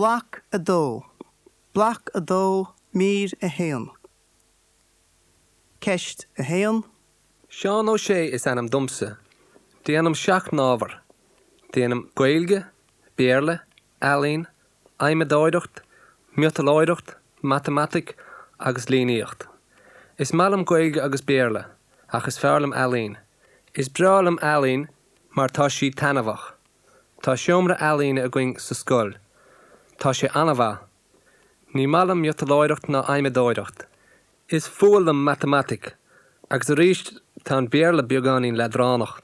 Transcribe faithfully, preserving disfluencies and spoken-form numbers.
Bloc a dó. Bloc a dó mír a haon. Ceist a haon. Seán Ó Sé is ainm domsa. Déanaim seacht n-ábhar. Déanaim Gaeilge, Béarla, Ealaín, Adhmadóireacht, Miotalóireacht, Matamaitic agus Líníocht. Is maith liom Gaeilge agus Béarla, ach is fearr liom ealaín. Is breá liom ealaín mar tá sí taitneamhach. Tá seomra ealaíne againn sa scoil. Tá sé an-mhaith. Ní maith liom miotalóireacht ná adhmadóireacht. Is fuath liom matamaitic, agus arís tá an Béarla beagáinín leadránach.